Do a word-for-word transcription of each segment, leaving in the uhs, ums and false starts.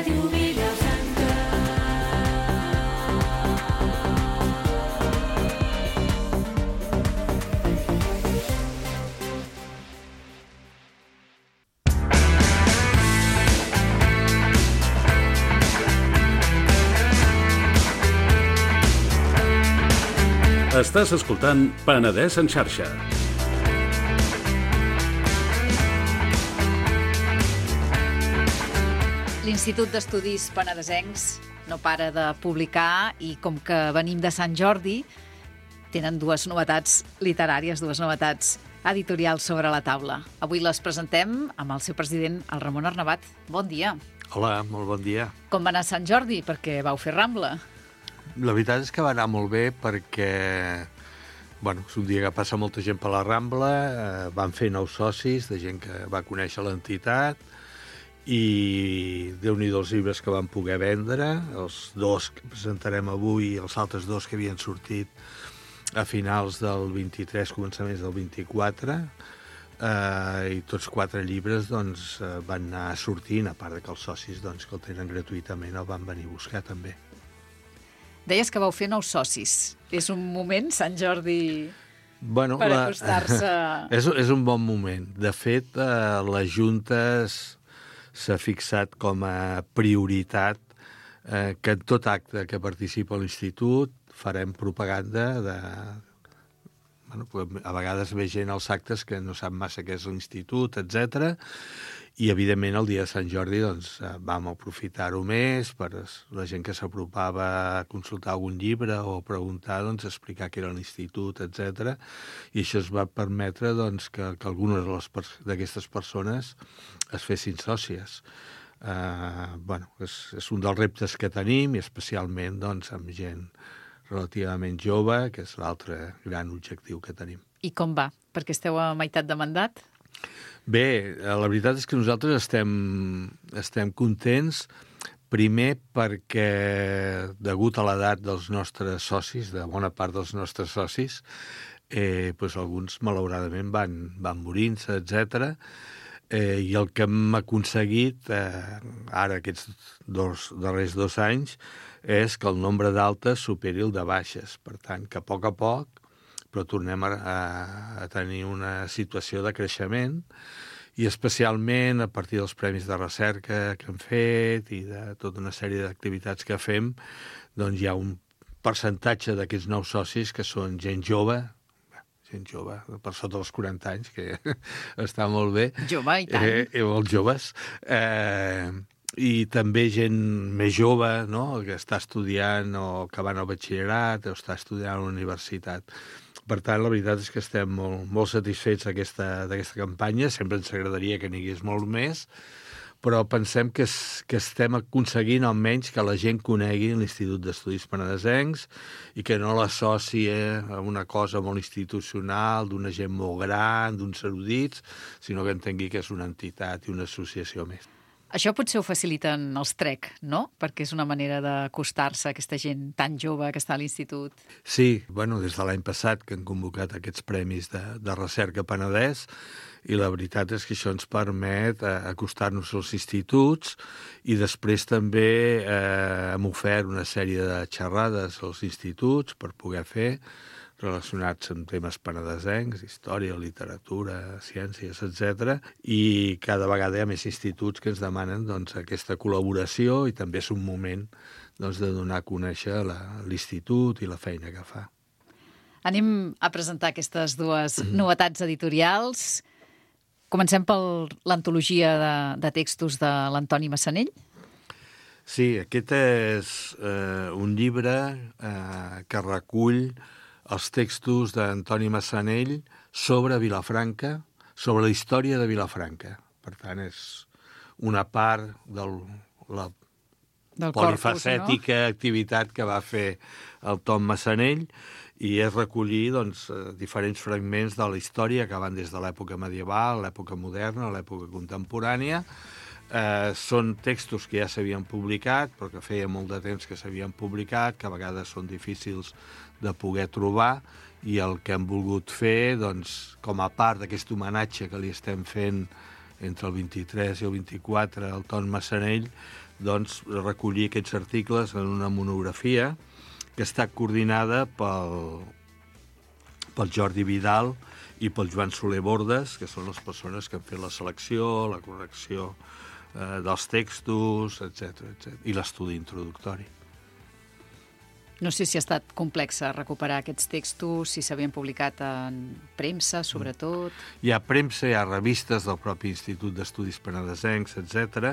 Ràdio Vilafranca. Estàs escoltant Penedès en xarxa. L'Institut d'Estudis Penedesencs no para de publicar i com que venim de Sant Jordi, tenen dues novetats literàries, dues novetats editorials sobre la taula. Avui les presentem amb el seu president, el Ramon Arnabat. Bon dia. Hola, molt bon dia. Com va anar Sant Jordi? Perquè vau fer Rambla. La veritat és que va anar molt bé perquè bueno, és un dia que passa molta gent per la Rambla, eh, van fer nous socis, de gent que va conèixer l'entitat, i Déu-n'hi-do els llibres que van poder vendre, els dos que presentarem avui i els altres dos que havien sortit a finals del vint-i-tres, començaments del vint-i-quatre, eh, i tots quatre llibres doncs, van anar sortint, a part de que els socis doncs, que el tenen gratuïtament el van venir a buscar també. Deies que vau fer nous socis. És un moment, Sant Jordi, bueno, per la... acostar-se... és, és un bon moment. De fet, eh, la Junta s'ha fixat com a prioritat eh, que en tot acte que participa l'Institut farem propaganda de... Bueno, a vegades ve gent als actes que no sap massa què és l'Institut, etcètera. I, evidentment, el dia de Sant Jordi doncs, vam aprofitar-ho més per la gent que s'apropava a consultar algun llibre o preguntar, doncs, explicar què era l'Institut, etcètera. I això es va permetre doncs, que, que algunes d'aquestes persones es fessin sòcies. Uh, bueno, és, és un dels reptes que tenim, i especialment doncs, amb gent relativament jove, que és l'altre gran objectiu que tenim. I com va? Perquè esteu a meitat de mandat? Bé, la veritat és que nosaltres estem, estem contents, primer perquè, degut a l'edat dels nostres socis, de bona part dels nostres socis, eh, doncs alguns, malauradament, van, van morint-se, etcètera. Eh, I el que hem aconseguit eh, ara, aquests dos, darrers dos anys, és que el nombre d'altes superi el de baixes. Per tant, que a poc a poc però tornem a, a, a tenir una situació de creixement, i especialment a partir dels premis de recerca que hem fet i de tota una sèrie d'activitats que fem, doncs hi ha un percentatge d'aquests nous socis que són gent jove, gent jove, per sota dels quaranta anys, que està molt bé. Jove, i tant. Eh, eh, els joves. Eh, I també gent més jove, no?, que està estudiant o que van al batxillerat o està estudiant a la universitat. Per tant, la veritat és que estem molt, molt satisfets d'aquesta campanya. Sempre ens agradaria que n'hi hagués molt més, però pensem que, es, que estem aconseguint almenys que la gent conegui l'Institut d'Estudis Penedesencs i que no l'associa a una cosa molt institucional, d'una gent molt gran, d'uns erudits, sinó que entengui que és una entitat i una associació més. Això potser ho faciliten els T R E C, no? Perquè és una manera d'acostar-se a aquesta gent tan jove que està a l'institut. Sí, bueno, des de l'any passat que han convocat aquests premis de, de recerca Penedès, i la veritat és que això ens permet eh, acostar-nos als instituts, i després també eh, hem ofert una sèrie de xerrades als instituts per poder fer, relacionats amb temes penedesencs, història, literatura, ciències, etcètera. I cada vegada hi ha més instituts que ens demanen doncs, aquesta col·laboració, i també és un moment doncs, de donar a conèixer l'institut i la feina que fa. Anem a presentar aquestes dues novetats editorials. Comencem per l'antologia de, de textos de l'Antoni Massanell. Sí, aquest és eh, un llibre eh, que recull els textos d'Antoni Massanell sobre Vilafranca, sobre la història de Vilafranca. Per tant, és una part de la del polifacètica corpus, no? activitat que va fer el Tom Massanell, i és recollir doncs, diferents fragments de la història que van des de l'època medieval, l'època moderna, l'època contemporània. Eh, són textos que ja s'havien publicat, però que feia molt de temps que s'havien publicat, que a vegades són difícils de poder trobar, i el que hem volgut fer, doncs, com a part d'aquest homenatge que li estem fent entre el vint-i-tres i el vint-i-quatre al Tom Massanell, doncs, recollir aquests articles en una monografia que està coordinada pel, pel Jordi Vidal i pel Joan Soler Bordes, que són les persones que han fet la selecció, la correcció eh, dels textos, etcètera, etcètera, i l'estudi introductori. No sé si ha estat complex recuperar aquests textos, si s'havien publicat en premsa, sobretot. Hi ha premsa, hi ha revistes del propi Institut d'Estudis Penedesencs, etcètera.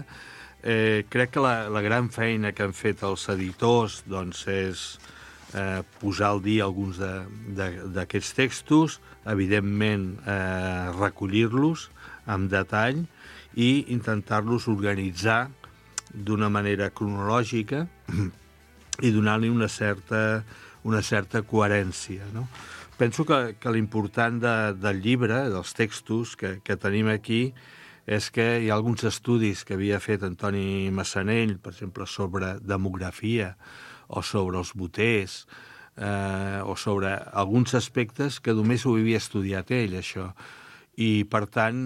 Eh, crec que la, la gran feina que han fet els editors doncs, és eh, posar al dia alguns d'aquests textos, evidentment eh, recollir-los amb detall i intentar-los organitzar d'una manera cronològica i donar-li una certa, una certa coherència, no? Penso que, que l'important de, del llibre, dels textos que, que tenim aquí, és que hi ha alguns estudis que havia fet Antoni Massanell, per exemple, sobre demografia o sobre els boters, eh, o sobre alguns aspectes que només ho havia estudiat ell, això. I, per tant,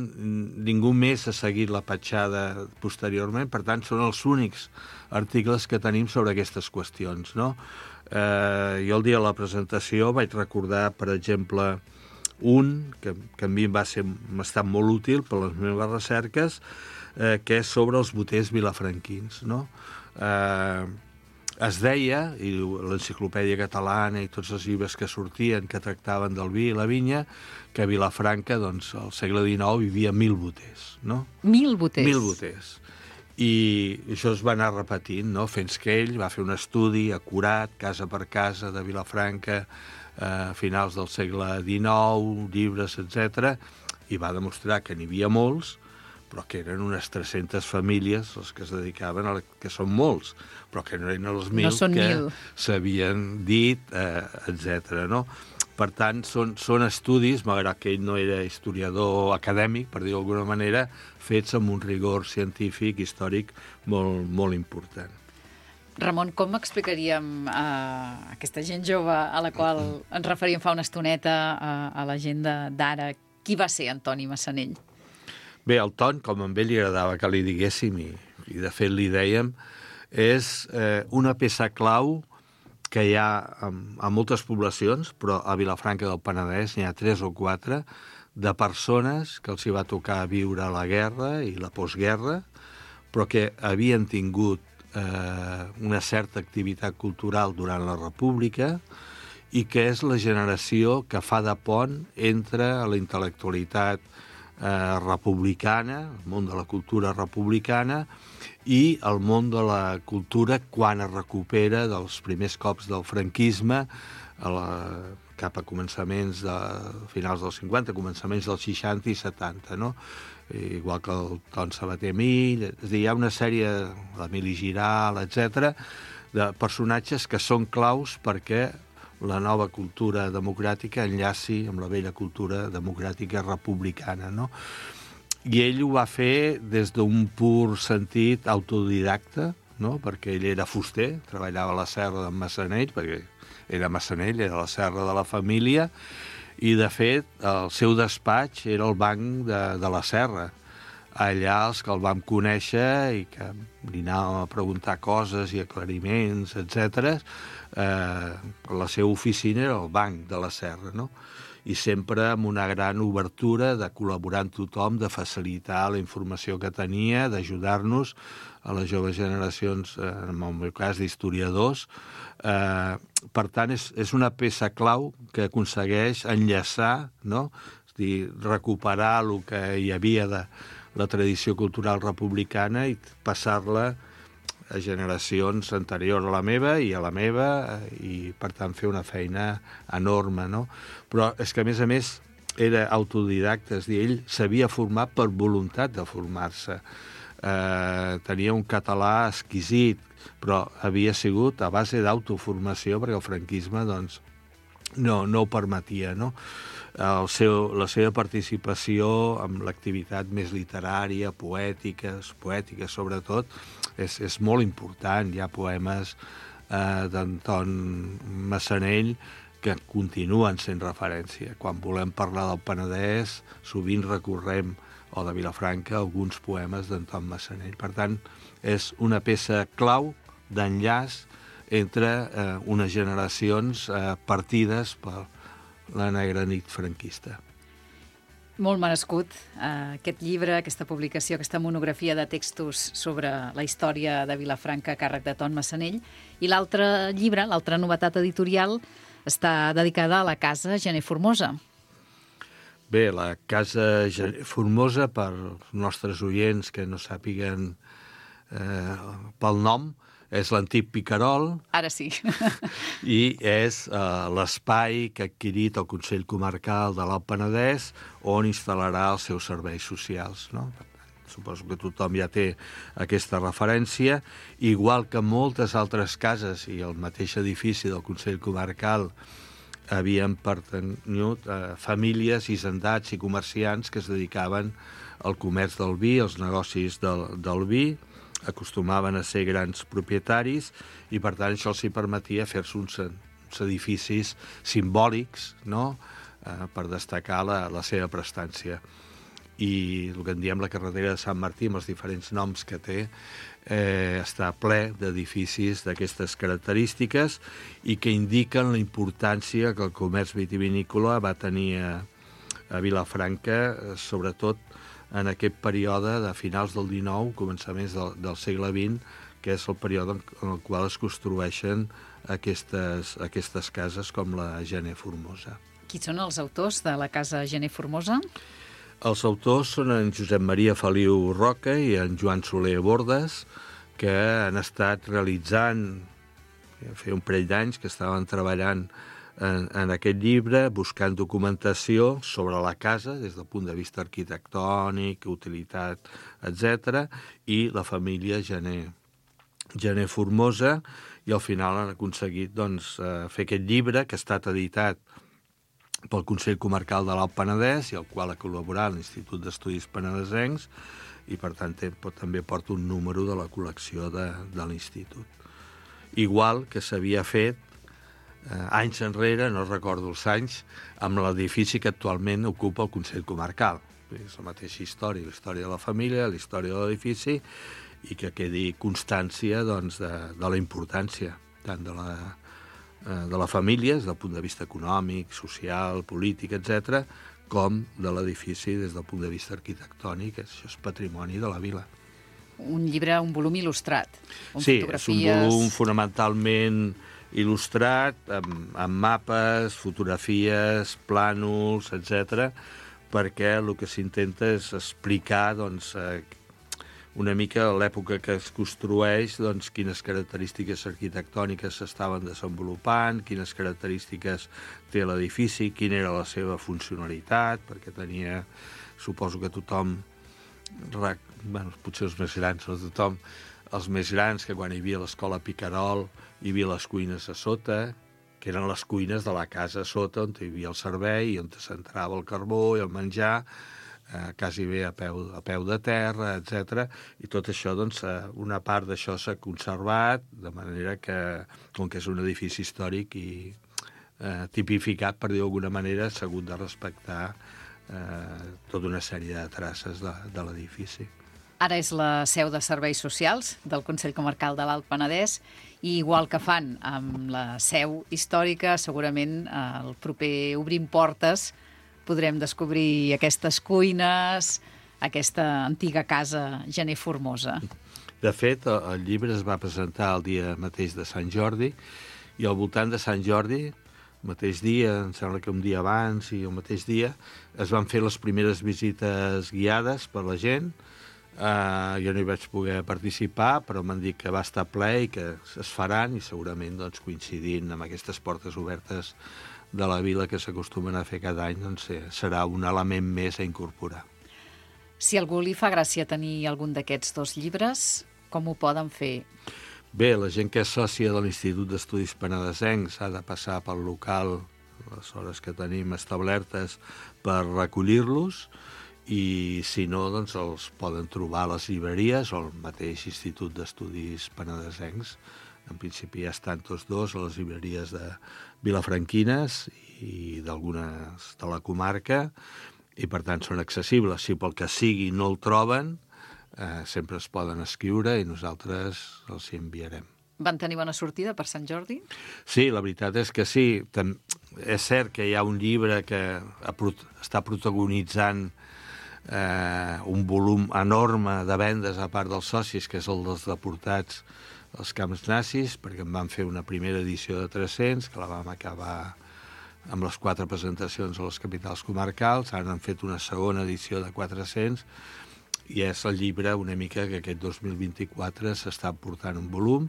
ningú més ha seguit la petjada posteriorment. Per tant, són els únics articles que tenim sobre aquestes qüestions, no? Eh, jo el dia de la presentació vaig recordar, per exemple, un que, que a mi va ser, m'ha estat molt útil per les meves recerques, eh, que és sobre els boters vilafranquins, no? Eh, es deia, i l'enciclopèdia catalana i tots els llibres que sortien que tractaven del vi i la vinya, que a Vilafranca, doncs, al segle dinou hi havia mil boters, no? Mil boters? Mil boters. I això es va anar repetint, no? Fins que ell va fer un estudi acurat, casa per casa, de Vilafranca, eh, a finals del segle dinou, llibres, etcètera, i va demostrar que n'hi havia molts, però que eren unes tres-centes famílies les que es dedicaven, a la, que són molts, però que no eren els mil no que mil. s'havien dit, eh, etcètera, no? Per tant, són, són estudis, malgrat que ell no era historiador acadèmic, per dir-ho d'alguna manera, fets amb un rigor científic, històric, molt, molt important. Ramon, com explicaríem a aquesta gent jove a la qual ens referíem fa una estoneta, a, a la gent d'ara, qui va ser Antoni Massanell? Bé, el Ton, com a ell li agradava que li diguéssim, i, i de fet li dèiem, és eh, una peça clau que hi ha en, en moltes poblacions, però a Vilafranca del Penedès n'hi ha tres o quatre, de persones que els hi va tocar viure la guerra i la postguerra, però que havien tingut eh, una certa activitat cultural durant la República i que és la generació que fa de pont entre la intel·lectualitat Eh, republicana, el món de la cultura republicana, i el món de la cultura quan es recupera dels primers cops del franquisme a la, cap a començaments de finals dels cinquanta, començaments dels seixanta i setanta, no? Igual que el Ton Sabater Mill, és a dir, hi ha una sèrie, l'Emili Giral, etcètera, de personatges que són claus perquè la nova cultura democràtica enllaci amb la vella cultura democràtica republicana, no? I ell ho va fer des d'un pur sentit autodidacta, no? Perquè ell era fuster, treballava a la serra d'en Massanell, perquè era Massanell, era la serra de la família, i de fet el seu despatx era el banc de, de la serra. Allà els que el vam conèixer i que li anàvem a preguntar coses i aclariments, etcètera, eh, la seva oficina era el banc de la serra, no? I sempre amb una gran obertura de col·laborar amb tothom, de facilitar la informació que tenia, d'ajudar-nos a les joves generacions, eh, en el meu cas, d'historiadors. Eh, per tant, és, és una peça clau que aconsegueix enllaçar, no? És a dir, recuperar el que hi havia de la tradició cultural republicana i passar-la a generacions anteriors a la meva i a la meva, i per tant fer una feina enorme, no? Però és que a més a més era autodidacta, és a dir, ell s'havia format per voluntat de formar-se. Eh, tenia un català exquisit, però havia sigut a base d'autoformació perquè el franquisme doncs, no, no ho permetia, no? El seu, la seva participació amb l'activitat més literària, poètica, poètica sobretot, és, és molt important. Hi ha poemes eh, d'Anton Massanell que continuen sent referència. Quan volem parlar del Penedès, sovint recorrem, o de Vilafranca, alguns poemes d'Anton Massanell. Per tant, és una peça clau d'enllaç entre eh, unes generacions eh, partides per la negra nit franquista. Molt merescut, eh, aquest llibre, aquesta publicació, aquesta monografia de textos sobre la història de Vilafranca a càrrec de Ton Massanell. I l'altre llibre, l'altra novetat editorial, està dedicada a la Casa Gener Formosa. Bé, la Casa Gener Formosa, per als nostres oients que no sàpiguen eh, pel nom, és l'antic Picarol. Ara sí. I és eh, l'espai que ha adquirit el Consell Comarcal de l'Alt Penedès on instal·larà els seus serveis socials, no? Per tant, suposo que tothom ja té aquesta referència, igual que moltes altres cases i el mateix edifici del Consell Comarcal havien pertanyut a famílies, hisendats i comerciants que es dedicaven al comerç del vi, als negocis del, del vi, acostumaven a ser grans propietaris i, per tant, això els hi permetia fer-se uns, uns edificis simbòlics, no?, eh, per destacar la, la seva prestància. I el que en diem la carretera de Sant Martí, amb els diferents noms que té, eh, està ple d'edificis d'aquestes característiques i que indiquen la importància que el comerç vitivinícola va tenir a, a Vilafranca, sobretot en aquest període de finals del dinou, començaments del, del segle vint, que és el període en el qual es construeixen aquestes, aquestes cases com la Gener Formosa. Qui són els autors de la Casa Gener Formosa? Els autors són en Josep Maria Feliu Roca i en Joan Soler Bordes, que han estat realitzant, feia un parell d'anys que estaven treballant En, en aquest llibre, buscant documentació sobre la casa des del punt de vista arquitectònic, utilitat, etcètera, i la família Gener, Gener Formosa, i al final han aconseguit doncs, fer aquest llibre que ha estat editat pel Consell Comarcal de l'Alt Penedès i al qual ha col·laborat l'Institut d'Estudis Penedesencs i, per tant, també porta un número de la col·lecció de, de l'Institut. Igual que s'havia fet Eh, anys enrere, no recordo els anys, amb l'edifici que actualment ocupa el Consell Comarcal. És la mateixa història, la història de la família, la història de l'edifici, i que quedi constància doncs, de, de la importància tant de la, eh, de la família, des del punt de vista econòmic, social, polític, etcètera, com de l'edifici des del punt de vista arquitectònic. Això és patrimoni de la vila. Un llibre, un volum il·lustrat. Sí, és un volum fonamentalment il·lustrat, amb, amb mapes, fotografies, plànols, etcètera, perquè el que s'intenta és explicar doncs, eh, una mica l'època que es construeix, doncs, quines característiques arquitectòniques s'estaven desenvolupant, quines característiques té l'edifici, quina era la seva funcionalitat, perquè tenia, suposo que tothom, bueno, potser els més grans, no tothom, els més grans, que quan hi havia l'escola Picarol hi havia les cuines a sota, que eren les cuines de la casa a sota, on hi havia el servei, on s'entrava el carbó i el menjar, eh, quasi bé a peu, a peu de terra, etcètera. I tot això, doncs, eh, una part d'això s'ha conservat, de manera que, com que és un edifici històric i eh, tipificat, per dir d'alguna manera, s'ha hagut de respectar eh, tota una sèrie de traces de, de l'edifici. Ara és la seu de serveis socials del Consell Comarcal de l'Alt Penedès i igual que fan amb la seu històrica, segurament el proper Obrim Portes podrem descobrir aquestes cuines, aquesta antiga casa Gener Formosa. De fet, el llibre es va presentar el dia mateix de Sant Jordi i al voltant de Sant Jordi, el mateix dia, em sembla que un dia abans i el mateix dia, es van fer les primeres visites guiades per la gent. Uh, jo no hi vaig poder participar, però m'han dit que va estar ple i que es faran, i segurament doncs, coincidint amb aquestes portes obertes de la vila que s'acostumen a fer cada any, doncs, serà un element més a incorporar. Si algú li fa gràcia tenir algun d'aquests dos llibres, com ho poden fer? Bé, la gent que és sòcia de l'Institut d'Estudis Penedesencs ha de passar pel local, les hores que tenim establertes, per recollir-los, i si no, doncs els poden trobar a les llibreries o al mateix Institut d'Estudis Penedesencs. En principi ja estan tots dos a les llibreries de vilafranquines i d'algunes de la comarca, i per tant són accessibles. Si pel que sigui no el troben, eh, sempre es poden escriure i nosaltres els hi enviarem. Van tenir bona sortida per Sant Jordi? Sí, la veritat és que sí. Tam- és cert que hi ha un llibre que ha prot- està protagonitzant eh, un volum enorme de vendes a part dels socis, que és el dels deportats als camps nazis, perquè en van fer una primera edició de tres-cents, que la vam acabar amb les quatre presentacions a les capitals comarcals, ara han fet una segona edició de quatre-cents, i és el llibre una mica que aquest dos mil vint-i-quatre s'està portant un volum.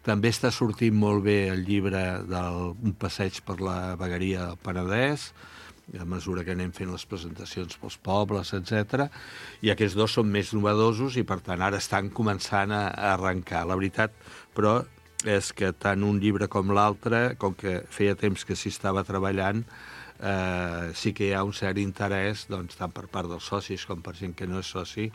També està sortint molt bé el llibre d'un passeig per la vegueria del Penedès, a mesura que anem fent les presentacions pels pobles, etcètera. I aquests dos són més novedosos i, per tant, ara estan començant a arrencar. La veritat, però, és que tant un llibre com l'altre, com que feia temps que s'hi estava treballant, eh, sí que hi ha un cert interès, doncs, tant per part dels socis com per gent que no és soci,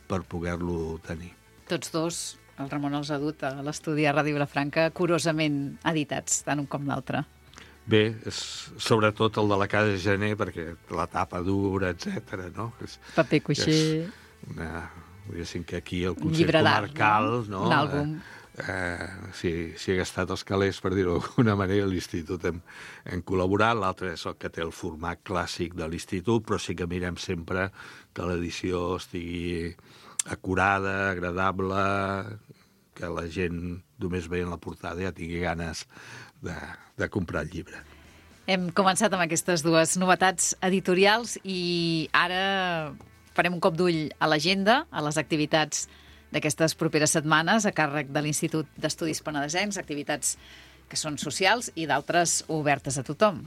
per poder-lo tenir. Tots dos, el Ramon els ha dut a l'estudi a Ràdio Vilafranca, curosament editats, tant un com l'altre. Bé, és sobretot el de la Casa de Gener, perquè la tapa dura, etcètera, no? És, Paper cuixer... És una, diguéssim que aquí el Consell llibre d'art, Comarcal, no? no? Un àlbum. Eh, sí, sí ha gastat els calés, per dir-ho d'alguna manera, l'Institut hem, hem col·laborat. L'altre és el que té el format clàssic de l'Institut, però sí que mirem sempre que l'edició estigui acurada, agradable, que la gent, només veient la portada, ja tingui ganes de, de comprar el llibre. Hem començat amb aquestes dues novetats editorials i ara farem un cop d'ull a l'agenda, a les activitats d'aquestes properes setmanes a càrrec de l'Institut d'Estudis Penedesencs, activitats que són socials i d'altres obertes a tothom.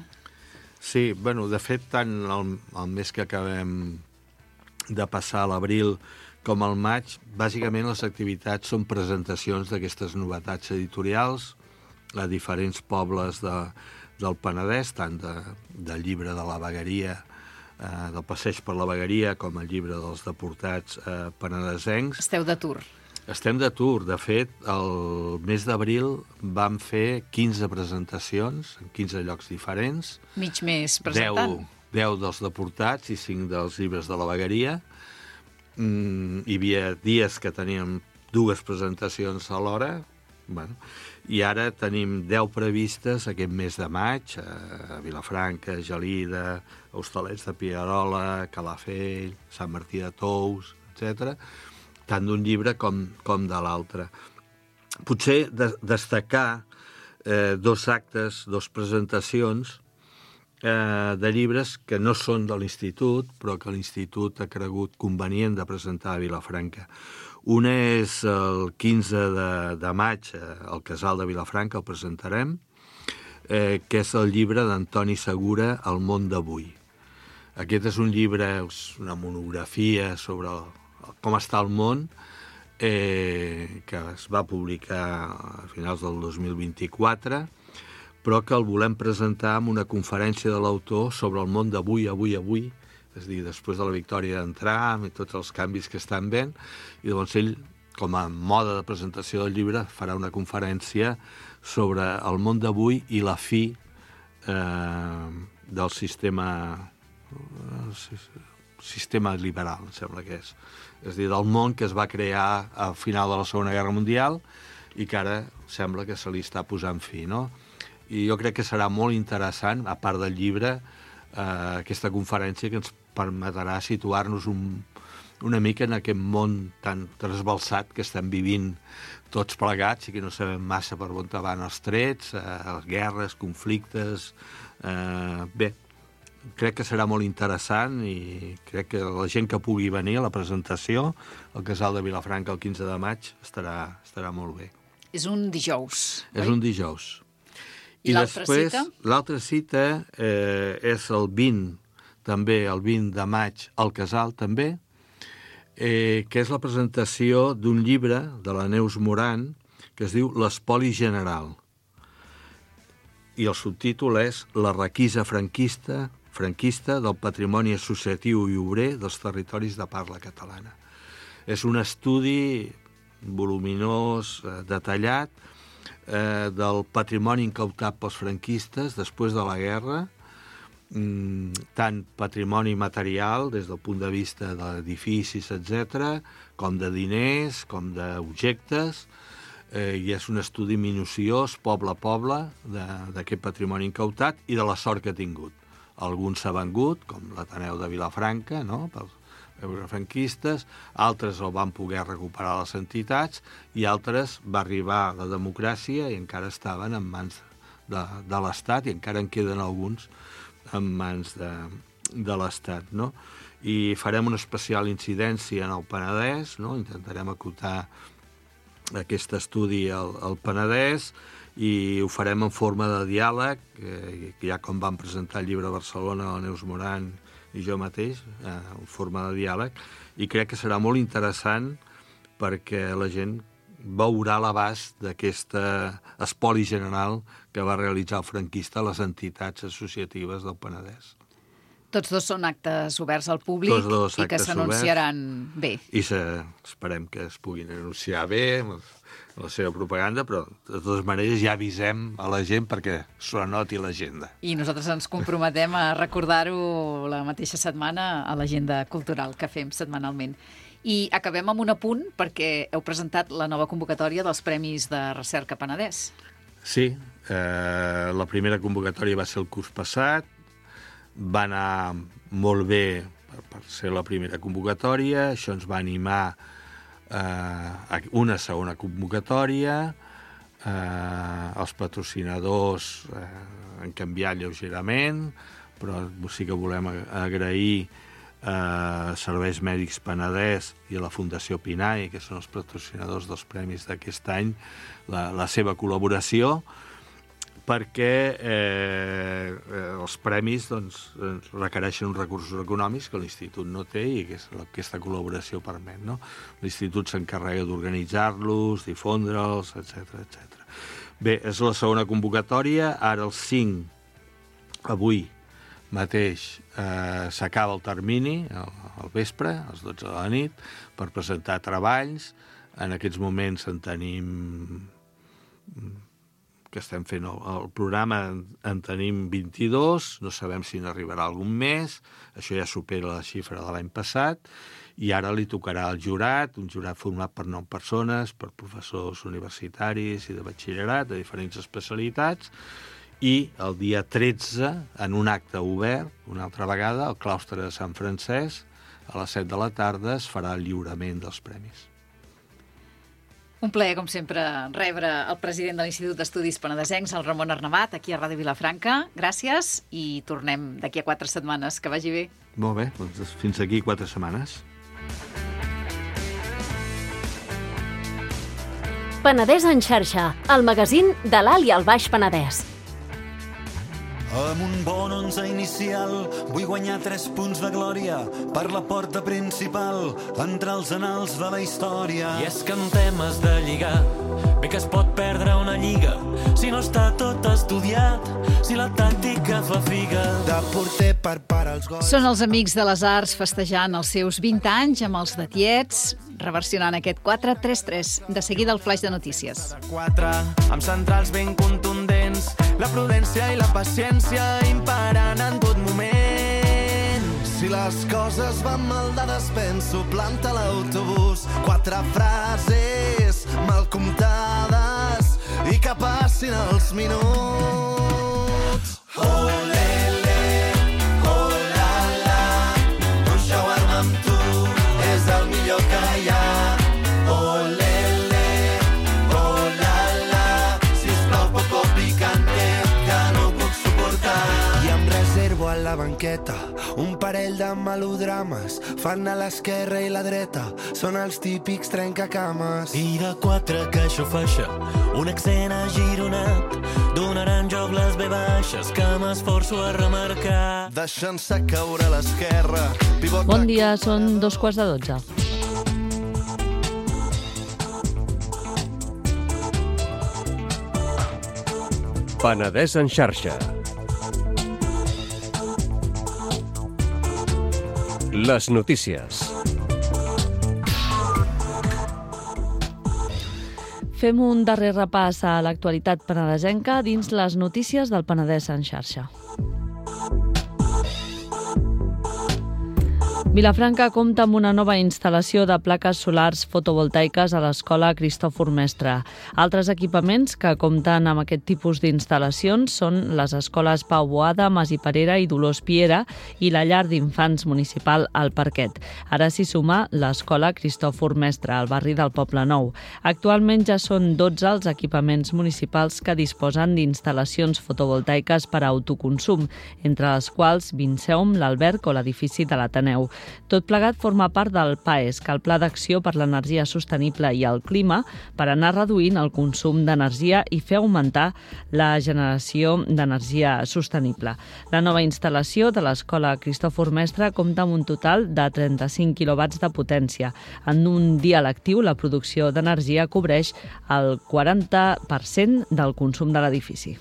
Sí, bueno, de fet, tant el, el mes que acabem de passar a l'abril com al maig, bàsicament les activitats són presentacions d'aquestes novetats editorials a diferents pobles de, del Penedès, tant de, del llibre de la vegueria, eh, del passeig per la vegueria, com el llibre dels deportats eh, penedesencs. Esteu de tour. Estem de tour. De fet, el mes d'abril vam fer quinze presentacions en quinze llocs diferents. Mig mes presentant. deu dels deportats i cinc dels llibres de la vegueria. Mm, hi havia dies que teníem dues presentacions a l'hora, bueno, i ara tenim deu previstes aquest mes de maig, a Vilafranca, Gelida, Hostalets de Pierola, Calafell, Sant Martí de Tous, etcètera, tant d'un llibre com, com de l'altre. Potser de, destacar eh, dos actes, dos presentacions eh, de llibres que no són de l'Institut, però que l'Institut ha cregut convenient de presentar a Vilafranca. Una és el quinze de, de maig, eh, al Casal de Vilafranca, el presentarem, eh, que és el llibre d'Antoni Segura, El món d'avui. Aquest és un llibre, una monografia sobre el, com està el món, eh, que es va publicar a finals del dos mil vint-i-quatre, però que el volem presentar amb una conferència de l'autor sobre el món d'avui, avui, avui, és a dir, després de la victòria d'en Trump i tots els canvis que estan venint, i llavors ell, com a mode de presentació del llibre, farà una conferència sobre el món d'avui i la fi eh, del sistema eh, sistema liberal, em sembla que és. És a dir, del món que es va crear al final de la Segona Guerra Mundial i que ara sembla que se li està posant fi, no? I jo crec que serà molt interessant, a part del llibre, eh, aquesta conferència que ens permetrà situar-nos un, una mica en aquest món tan trasbalsat que estem vivint tots plegats i que no sabem massa per on van els trets, eh, guerres, conflictes... Eh, bé, crec que serà molt interessant i crec que la gent que pugui venir a la presentació al Casal de Vilafranca el quinze de maig estarà, estarà molt bé. És un dijous, És oi? un dijous. I, I l'altra cita? L'altra cita eh, és el vint, també el vint de maig al Casal, també, eh, que és la presentació d'un llibre de la Neus Moran que es diu L'espoli general. I el subtítol és La requisa franquista, franquista del patrimoni associatiu i obrer dels territoris de parla catalana. És un estudi voluminós, eh, detallat, eh, del patrimoni incautat pels franquistes després de la guerra, tant patrimoni material, des del punt de vista d'edificis, etcètera, com de diners, com d'objectes, eh, i és un estudi minuciós, poble a poble, d'aquest patrimoni incautat i de la sort que ha tingut. Alguns s'ha vengut, com l'Ateneu de Vilafranca, no?, pels eurofranquistes, altres el van poder recuperar les entitats i altres va arribar la democràcia i encara estaven en mans de, de l'Estat i encara en queden alguns en mans de, de l'Estat, no? I farem una especial incidència en el Penedès, no? Intentarem acotar aquest estudi al, al Penedès i ho farem en forma de diàleg, eh, ja com vam presentar el llibre a Barcelona, la Neus Moran i jo mateix, eh, en forma de diàleg, i crec que serà molt interessant perquè la gent veurà l'abast d'aquest espoli general que va realitzar el franquista a les entitats associatives del Penedès. Tots dos són actes oberts al públic i que s'anunciaran bé. I se, esperem que es puguin anunciar bé, la seva propaganda, però de totes maneres ja avisem a la gent perquè s'ho anoti l'agenda. I nosaltres ens comprometem a recordar-ho la mateixa setmana a l'agenda cultural que fem setmanalment. I acabem amb un apunt perquè heu presentat la nova convocatòria dels Premis de Recerca Penedès. Sí, eh, la primera convocatòria va ser el curs passat, va anar molt bé per, per ser la primera convocatòria, això ens va animar eh, una segona convocatòria, eh, els patrocinadors eh, han canviat lleugerament, però sí que volem agrair eh, Serveis Mèdics Penedès i a la Fundació Pinai, que són els patrocinadors dels premis d'aquest any, la, la seva col·laboració, perquè eh, els premis doncs, requereixen uns recursos econòmics que l'Institut no té i que aquesta col·laboració permet, no? L'Institut s'encarrega d'organitzar-los, difondre'ls, etcètera, etcètera. Bé, és la segona convocatòria, ara el cinc, avui mateix, eh, s'acaba el termini, al, al vespre, a les dotze de la nit, per presentar treballs. En aquests moments en tenim... que estem fent el, el programa, en, en tenim vint-i-dos, no sabem si n'arribarà algun més, això ja supera la xifra de l'any passat, i ara li tocarà al jurat, un jurat format per nou persones, per professors universitaris i de batxillerat, de diferents especialitats, i el dia tretze, en un acte obert, una altra vegada, al claustre de Sant Francesc, a les set de la tarda, es farà el lliurament dels premis. Un plaer, com sempre, rebre el president de l'Institut d'Estudis Penedesencs, el Ramon Arnabat, aquí a Ràdio Vilafranca. Gràcies i tornem d'aquí a quatre setmanes. Que vagi bé. Molt bé, doncs fins aquí quatre setmanes. Penedès en xarxa, el magazín de l'Alt i el Baix Penedès. Amb un bon onze inicial vull guanyar tres punts de glòria per la porta principal, entre els anals de la història. I és que en temes de lligar, bé que es pot perdre una lliga si no està tot estudiat, si la tàctica fa figa. De porter per parar els gols. Són els Amics de les Arts festejant els seus vint anys amb els de Tiets, reversionant aquest quatre tres tres. De seguida el flaix de notícies. quatre, amb centrals ben contundents, la prudència i la paciència imparant en tot moment. Si les coses van mal dades, penso, planta l'autobús. Quatre frases mal comptades i que passin els minuts. Olele, olala, un shawarma amb tu és el millor que hi ha. Olele, olala, sisplau, poco picante, que no puc suportar. I em reservo a la banqueta un parell de melodrames, fan a l'esquerra i la dreta, són els típics trencacames. I de quatre que això faixa, un accent agironat, donaran joc les ve baixes que m'esforço a remarcar. Deixant-se caure a l'esquerra, pivot... Bon dia, són dos quarts de dotze. Penedès en xarxa. Les notícies. Fem un darrer repàs a l'actualitat penedesenca dins les notícies del Penedès en xarxa. Vilafranca compta amb una nova instal·lació de plaques solars fotovoltaiques a l'escola Cristòfor Mestre. Altres equipaments que compten amb aquest tipus d'instal·lacions són les escoles Pau Boada, Mas i Parera i Dolors Piera i la llar d'infants municipal al Parquet. Ara s'hi suma l'escola Cristòfor Mestre, al barri del Poble Nou. Actualment ja són dotze els equipaments municipals que disposen d'instal·lacions fotovoltaiques per a autoconsum, entre les quals Vinceom, l'Alberg o l'edifici de l'Ateneu. Tot plegat forma part del PAES, que el Pla d'Acció per l'Energia Sostenible i el Clima, per anar reduint el consum d'energia i fer augmentar la generació d'energia sostenible. La nova instal·lació de l'escola Cristòfor Mestre compta amb un total de trenta-cinc quilowatts de potència. En un dia lectiu, la producció d'energia cobreix el quaranta per cent del consum de l'edifici.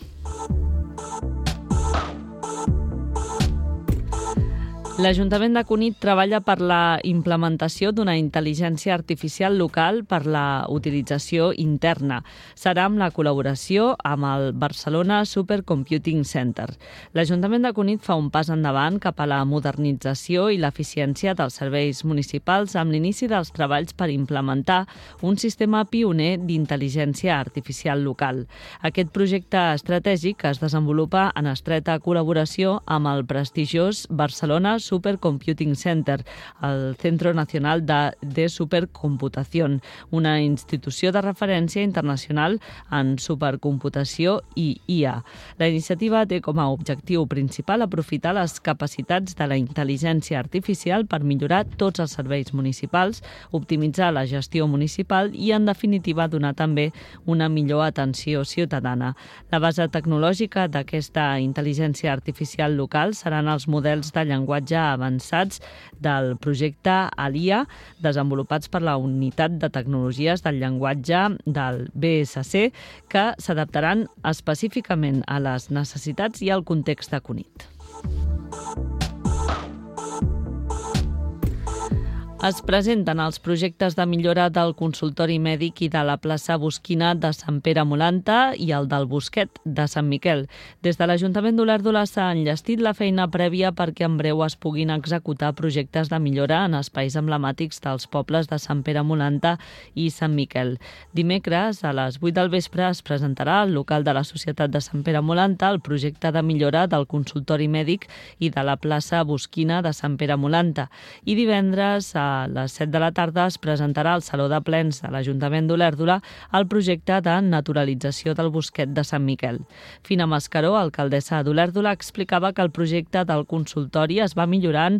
L'Ajuntament de Cunit treballa per la implementació d'una intel·ligència artificial local per la utilització interna. Serà amb la col·laboració amb el Barcelona Supercomputing Center. L'Ajuntament de Cunit fa un pas endavant cap a la modernització i l'eficiència dels serveis municipals amb l'inici dels treballs per implementar un sistema pioner d'intel·ligència artificial local. Aquest projecte estratègic es desenvolupa en estreta col·laboració amb el prestigiós Barcelona Supercomputing Center, el Centro Nacional de, de Supercomputación, una institució de referència internacional en supercomputació i I A. La iniciativa té com a objectiu principal aprofitar les capacitats de la intel·ligència artificial per millorar tots els serveis municipals, optimitzar la gestió municipal i, en definitiva, donar també una millor atenció ciutadana. La base tecnològica d'aquesta intel·ligència artificial local seran els models de llenguatge avançats del projecte ALIA, desenvolupats per la Unitat de Tecnologies del Llenguatge del B S C, que s'adaptaran específicament a les necessitats i al context de Cunit. Es presenten els projectes de millora del consultori mèdic i de la plaça Bosquina de Sant Pere Molanta i el del Bosquet de Sant Miquel. Des de l'Ajuntament d'Olèrdola s'ha enllestit la feina prèvia perquè en breu es puguin executar projectes de millora en espais emblemàtics dels pobles de Sant Pere Molanta i Sant Miquel. Dimecres, a les vuit del vespre, es presentarà al local de la Societat de Sant Pere Molanta el projecte de millora del consultori mèdic i de la plaça Bosquina de Sant Pere Molanta. I divendres, a A les set de la tarda es presentarà al Saló de Plens de l'Ajuntament d'Olèrdola el projecte de naturalització del Bosquet de Sant Miquel. Fina Mascaró, alcaldessa d'Olèrdola, explicava que el projecte del consultori es va millorant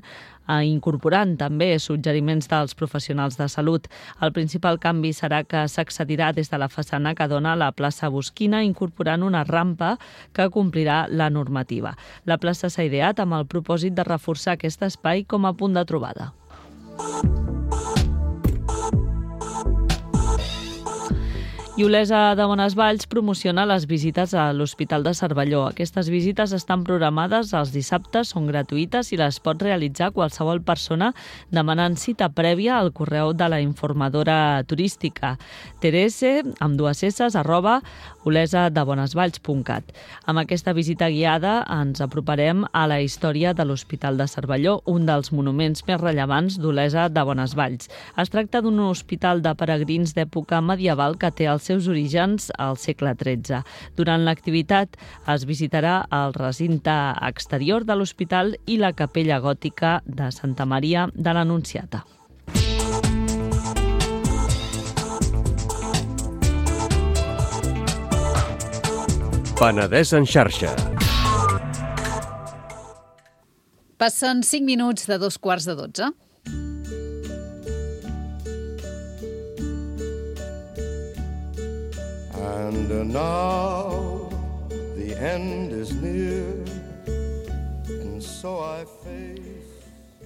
incorporant també suggeriments dels professionals de salut. El principal canvi serà que s'accedirà des de la façana que dona a la plaça Bosquina, incorporant una rampa que complirà la normativa. La plaça s'ha ideat amb el propòsit de reforçar aquest espai com a punt de trobada. I Olesa de Bonesvalls promociona les visites a l'Hospital de Cervelló. Aquestes visites estan programades els dissabtes, són gratuïtes i les pot realitzar qualsevol persona demanant cita prèvia al correu de la informadora turística terese, amb dues esses, arroba olesadebonesvalls punt cat. Amb aquesta visita guiada ens aproparem a la història de l'Hospital de Cervelló, un dels monuments més rellevants d'Olesa de Bonesvalls. Es tracta d'un hospital de peregrins d'època medieval que té els seus orígens al segle tretze. Durant l'activitat es visitarà el recinte exterior de l'hospital i la capella gòtica de Santa Maria de l'Anunciata. Penedès en xarxa. Passen cinc minuts de dos quarts de dotze. And now the end is near, and so I face...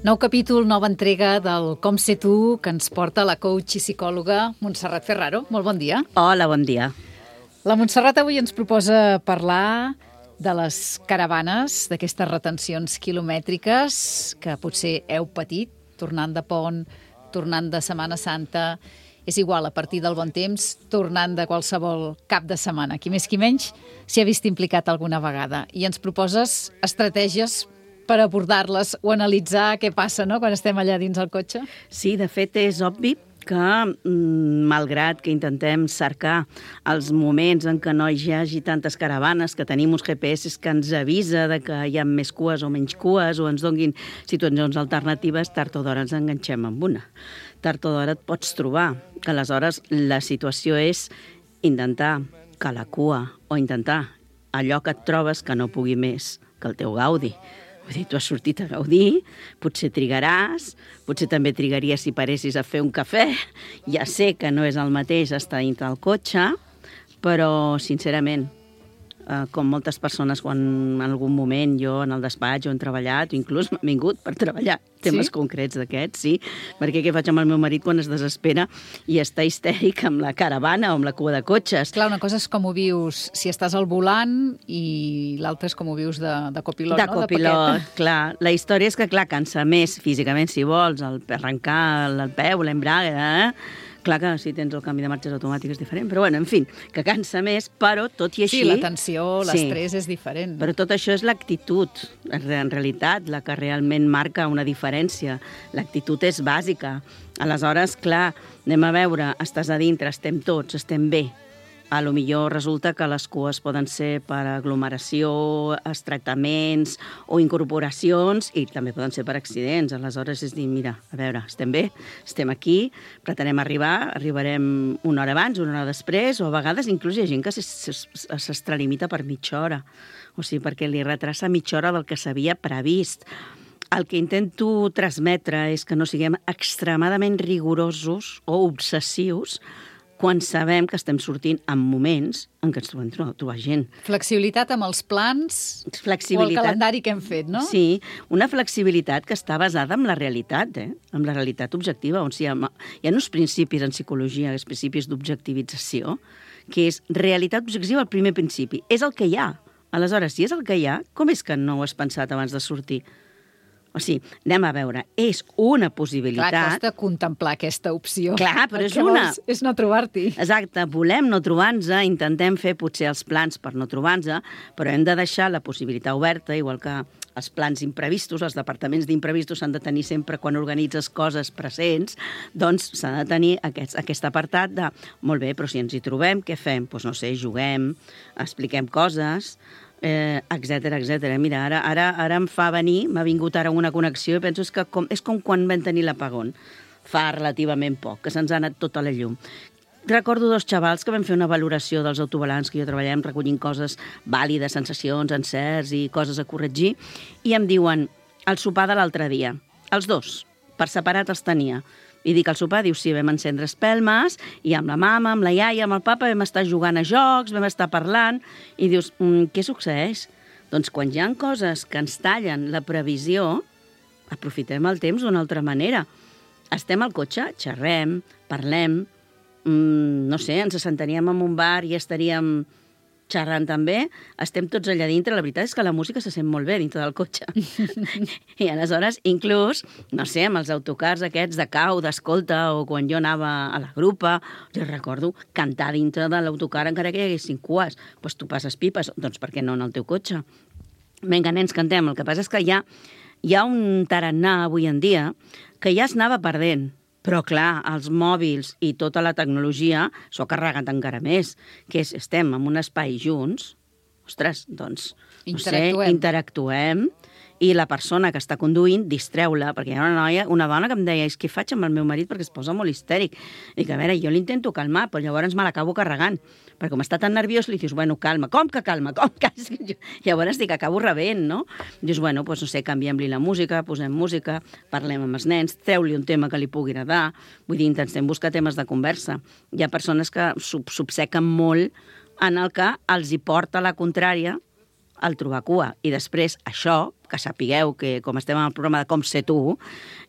Nou capítol, nova entrega del Com sé tu, que ens porta la coach i psicòloga Montserrat Ferraro. Molt bon dia. Hola, bon dia. La Montserrat avui ens proposa parlar de les caravanes, d'aquestes retencions quilomètriques que potser heu patit, tornant de pont, tornant de Setmana Santa... És igual, a partir del bon temps, tornant de qualsevol cap de setmana. Qui més qui menys s'hi ha vist implicat alguna vegada. I ens proposes estratègies per abordar-les o analitzar què passa, no?, quan estem allà dins el cotxe. Sí, de fet, és obvi que, malgrat que intentem cercar els moments en què no hi hagi tantes caravanes, que tenim uns G P S que ens avisa de que hi ha més cues o menys cues o ens donguin situacions alternatives, tard o d'hora ens enganxem amb una. Tard o d'hora et pots trobar, que aleshores la situació és intentar que la cua o intentar allò que et trobes que no pugui més que el teu Gaudi. Vull dir, tu has sortit a gaudir, potser trigaràs, potser també trigaries si paressis a fer un cafè. Ja sé que no és el mateix estar dintre del cotxe, però, sincerament, eh, com moltes persones quan en algun moment jo en el despatx o he treballat, o inclús m'he vingut per treballar temes sí? concrets d'aquests, sí, perquè què faig amb el meu marit quan es desespera i està histèric amb la caravana o amb la cua de cotxes? Clar, una cosa és com ho vius si estàs al volant i l'altra és com ho vius de, de copilot, de no? copilot, de clar. La història és que, clar, cansa més físicament, si vols, el arrencar el peu, l'embrague, eh? Clar que si tens el canvi de marxes automàtic és diferent, però bueno, en fi, que cansa més, però tot i així... Sí, la tensió, l'estrès sí, és diferent. Però tot això és l'actitud, en realitat, la que realment marca una diferència. L'actitud és bàsica. Aleshores, clar, anem a veure, estàs a dintre, estem tots, estem bé. A lo millor resulta que les cues poden ser per aglomeració, tractaments o incorporacions i també poden ser per accidents. Aleshores és dir, mira, a veure, estem bé, estem aquí, pretenem arribar, arribarem una hora abans, una hora després, o a vegades inclús hi ha gent que s'extralimita per mitja hora, o sigui, perquè li retrassa mitja hora del que s'havia previst. El que intento transmetre és que no siguem extremadament rigorosos o obsessius quan sabem que estem sortint en moments en què ens trobem trobar gent. Flexibilitat amb els plans o el calendari que hem fet, no? Sí, una flexibilitat que està basada en la realitat, eh? En la realitat objectiva. On sigui, hi ha uns principis en psicologia, els principis d'objectivització, que és realitat objectiva el primer principi. És el que hi ha. Aleshores, si és el que hi ha, com és que no ho has pensat abans de sortir? O sigui, anem a veure, és una possibilitat... Clar, costa contemplar aquesta opció. Clar, però és una... una... és no trobar-t'hi. Exacte, volem no trobar-nos, intentem fer potser els plans per no trobar-nos, però hem de deixar la possibilitat oberta, igual que els plans imprevistos, els departaments d'imprevistos s'han de tenir sempre quan organitzes coses presents, doncs s'ha de tenir aquest, aquest apartat de, molt bé, però si ens hi trobem, què fem? Doncs no sé, juguem, expliquem coses... Eh, etcètera, etcètera. Mira, ara, ara, ara em fa venir, m'ha vingut ara una connexió i penso que com, és com quan vam tenir l'apagón, fa relativament poc, que se'ns ha anat tota la llum. Recordo dos xavals que vam fer una valoració dels autovolants que jo treballem, recollint coses vàlides, sensacions, encerts i coses a corregir, i em diuen, el sopar de l'altre dia, els dos, per separat els tenia. I dic al sopar, diu, sí, vam encendre espelmes i amb la mama, amb la iaia, amb el papa vam estar jugant a jocs, vam estar parlant i dius, mm, què succeeix? Doncs quan hi ha coses que ens tallen la previsió, aprofitem el temps d'una altra manera. Estem al cotxe, xerrem, parlem, mm, no sé, ens assentaríem en un bar i estaríem xerrant també, estem tots allà dintre. La veritat és que la música se sent molt bé dintre del cotxe. I aleshores, inclús, no sé, amb els autocars aquests de cau, d'escolta, o quan jo anava a la grupa, jo recordo cantar dintre de l'autocar encara que hi haguessin cues. Doncs tu passes pipes, doncs per què no en el teu cotxe? Vinga, nens, cantem. El que passa és que hi ha, hi ha un tarannà avui en dia que ja es anava perdent. Però, clar, els mòbils i tota la tecnologia s'ho ha carregat encara més, que és, estem en un espai junts, ostres, doncs, no sé, interactuem, i la persona que està conduint, distreu-la, perquè hi ha una noia, una dona que em deia, és què faig amb el meu marit perquè es posa molt histèric? I que, a veure, jo l'intento calmar, però llavors me l'acabo carregant, perquè com està tan nerviós, li dius, bueno, calma, com que calma, com que... Llavors dic, acabo rebent, no? Dius, bueno, doncs no sé, canviem-li la música, posem música, parlem amb els nens, treu-li un tema que li pugui agradar, vull dir, intentem buscar temes de conversa. Hi ha persones que s'obsequen molt en el que els hi porta la contrària al trobar cua. I després, això, que sapigueu que, com estem en el programa de Com ser tu,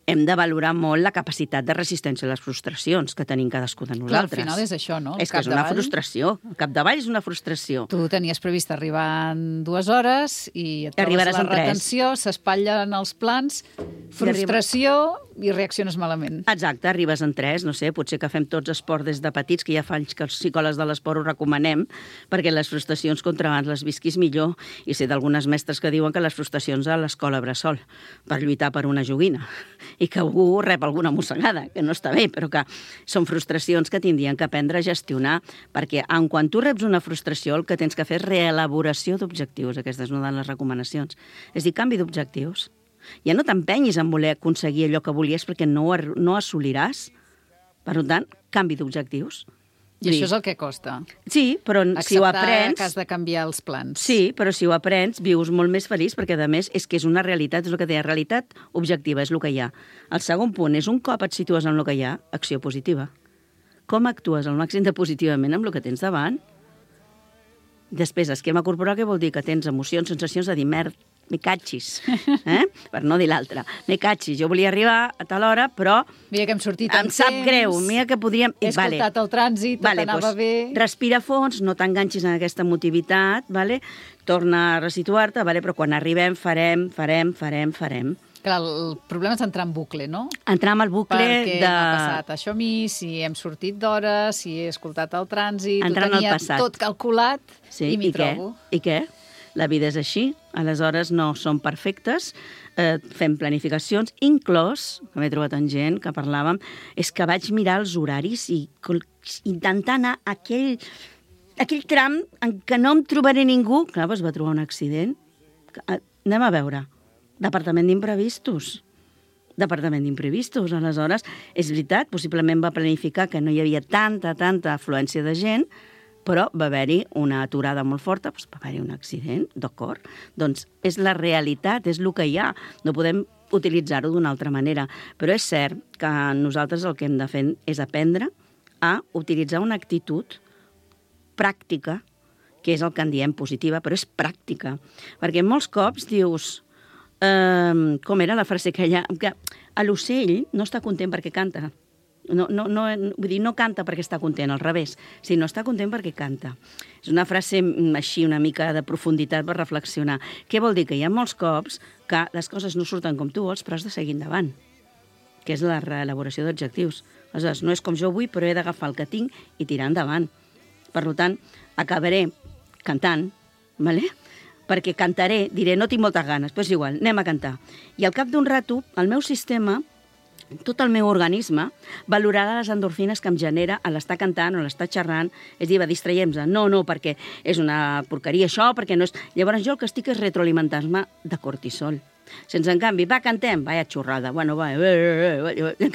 hem de valorar molt la capacitat de resistència a les frustracions que tenim cadascú de nosaltres. Clar, al final és això, no? És que és una frustració. El capdavall és una frustració. Tu tenies previst arribar en dues hores i et trobes la retenció, s'espatllen els plans... Frustració i, i reacciones malament. Exacte, arribes en tres, no sé, potser que fem tots esport des de petits, que ja fa anys que els psicòlegs de l'esport ho recomanem, perquè les frustracions contra abans les visquis millor, i sé d'algunes mestres que diuen que les frustracions a l'escola bressol, per lluitar per una joguina, i que algú rep alguna mossegada, que no està bé, però que són frustracions que tindrien que aprendre a gestionar, perquè en quan tu reps una frustració el que tens que fer és reelaboració d'objectius, aquesta és una de les recomanacions, és dir, canvi d'objectius. Ja no t'empenyis en voler aconseguir allò que volies perquè no, no assoliràs. Per tant, canvi d'objectius. I això és el que costa. Sí, però acceptar si ho aprens... que has de canviar els plans. Sí, però si ho aprens, vius molt més feliç, perquè, a més, és que és una realitat, és el que deia, realitat objectiva, és el que hi ha. El segon punt és, un cop et situes en el que hi ha, acció positiva. Com actues al màxim de positivament amb el que tens davant? Després, esquema corporal, què vol dir? Que tens emocions, sensacions de dir, merd, me catxis, eh? Per no dir l'altre. Me catxis, jo volia arribar a tal hora, però... Mira que hem sortit em amb sap temps, greu, mira que podríem... he escoltat vale. el trànsit, tot vale, anava doncs, bé... Respira fons, no t'enganxis en aquesta emotivitat, vale? Torna a resituar-te, vale? Però quan arribem farem, farem, farem, farem. Clar, el problema és entrar en bucle, no? Entrar en el bucle Perquè de... m'ha passat això a mi, si hem sortit d'hora, si he escoltat el trànsit, entrar ho tenia passat. tot calculat sí, i m'hi i trobo. Què? I què? La vida és així, aleshores no som perfectes, eh, fem planificacions, inclòs, que m'he trobat en gent que parlàvem, és que vaig mirar els horaris i intentar anar a aquell, aquell tram en què no em trobaré ningú. Clar, es va trobar un accident. Anem a veure. Departament d'imprevistos. Departament d'imprevistos. Aleshores, és veritat, possiblement va planificar que no hi havia tanta, tanta afluència de gent, però va haver-hi una aturada molt forta, doncs va haver-hi un accident, d'acord? Doncs és la realitat, és el que hi ha. No podem utilitzar-ho d'una altra manera. Però és cert que nosaltres el que hem de fer és aprendre a utilitzar una actitud pràctica, que és el que en diem positiva, però és pràctica. Perquè molts cops dius... Eh, com era la frase aquella? Que l'ocell no està content perquè canta. No, no, no, vull dir, no canta perquè està content, al revés, sinó està content perquè canta. És una frase així, una mica de profunditat per reflexionar. Què vol dir? Que hi ha molts cops que les coses no surten com tu vols, però has de seguir endavant, que és la reelaboració d'objectius. Aleshores, no és com jo vull, però he d'agafar el que tinc i tirar endavant. Per tant, acabaré cantant, ¿vale? Perquè cantaré, diré, no tinc moltes ganes, però és igual, anem a cantar. I al cap d'un rato, el meu sistema... tot el meu organisme valorarà les endorfines que em genera a l'estar cantant o a l'estar xerrant, és dir, va, distraiem-se. No, no, perquè és una porqueria això, perquè no és... Llavors jo el que estic és retroalimentar-me de cortisol. Sense en canvi, va, cantem, vaya xorrada, bueno, va,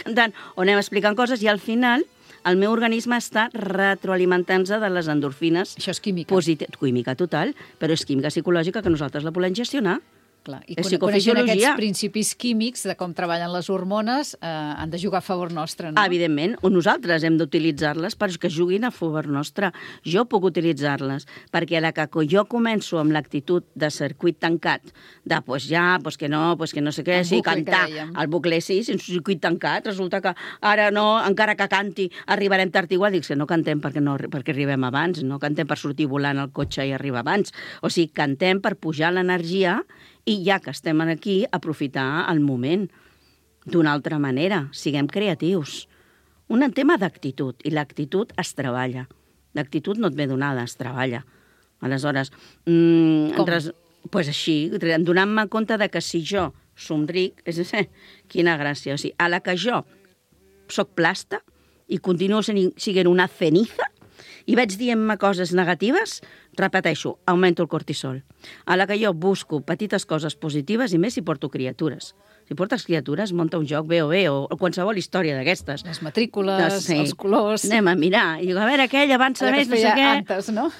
cantant, o anem explicant coses i al final el meu organisme està retroalimentant-se de les endorfines. Això és química. Química total, però és química psicològica que nosaltres la volem gestionar. Clar. I coneixent aquests principis químics de com treballen les hormones, eh, han de jugar a favor nostre, no? Evidentment, o nosaltres hem d'utilitzar-les perquè juguin a favor nostre. Jo puc utilitzar-les, perquè a la que jo començo amb l'actitud de circuit tancat, de pues ja, pues que no, pues que no sé què, el sí, bucle, cantar, el bucle sí, si un circuit tancat, resulta que ara no, encara que canti, arribarem tard igual, dic que no cantem perquè, no, perquè arribem abans, no cantem per sortir volant al cotxe i arribar abans, o sigui, cantem per pujar l'energia i ja que estem aquí, aprofitar el moment d'una altra manera. Siguem creatius. Un tema d'actitud, i l'actitud es treballa. L'actitud no et ve donada, es treballa. Aleshores, mmm, com? Res, pues així, donant-me compte de que si jo somric, és a dir, quina gràcia. O sigui, a la que jo soc plasta i continuo sent una ceniza, i vaig dient-me coses negatives, repeteixo, augmento el cortisol. A la que jo busco petites coses positives i més si porto criatures. Si portes criatures, munta un joc bé o bé, o qualsevol història d'aquestes. Les matrícules, sí. Els colors... Anem a mirar. I a veure, aquell avança més, no sé què... Antes, no?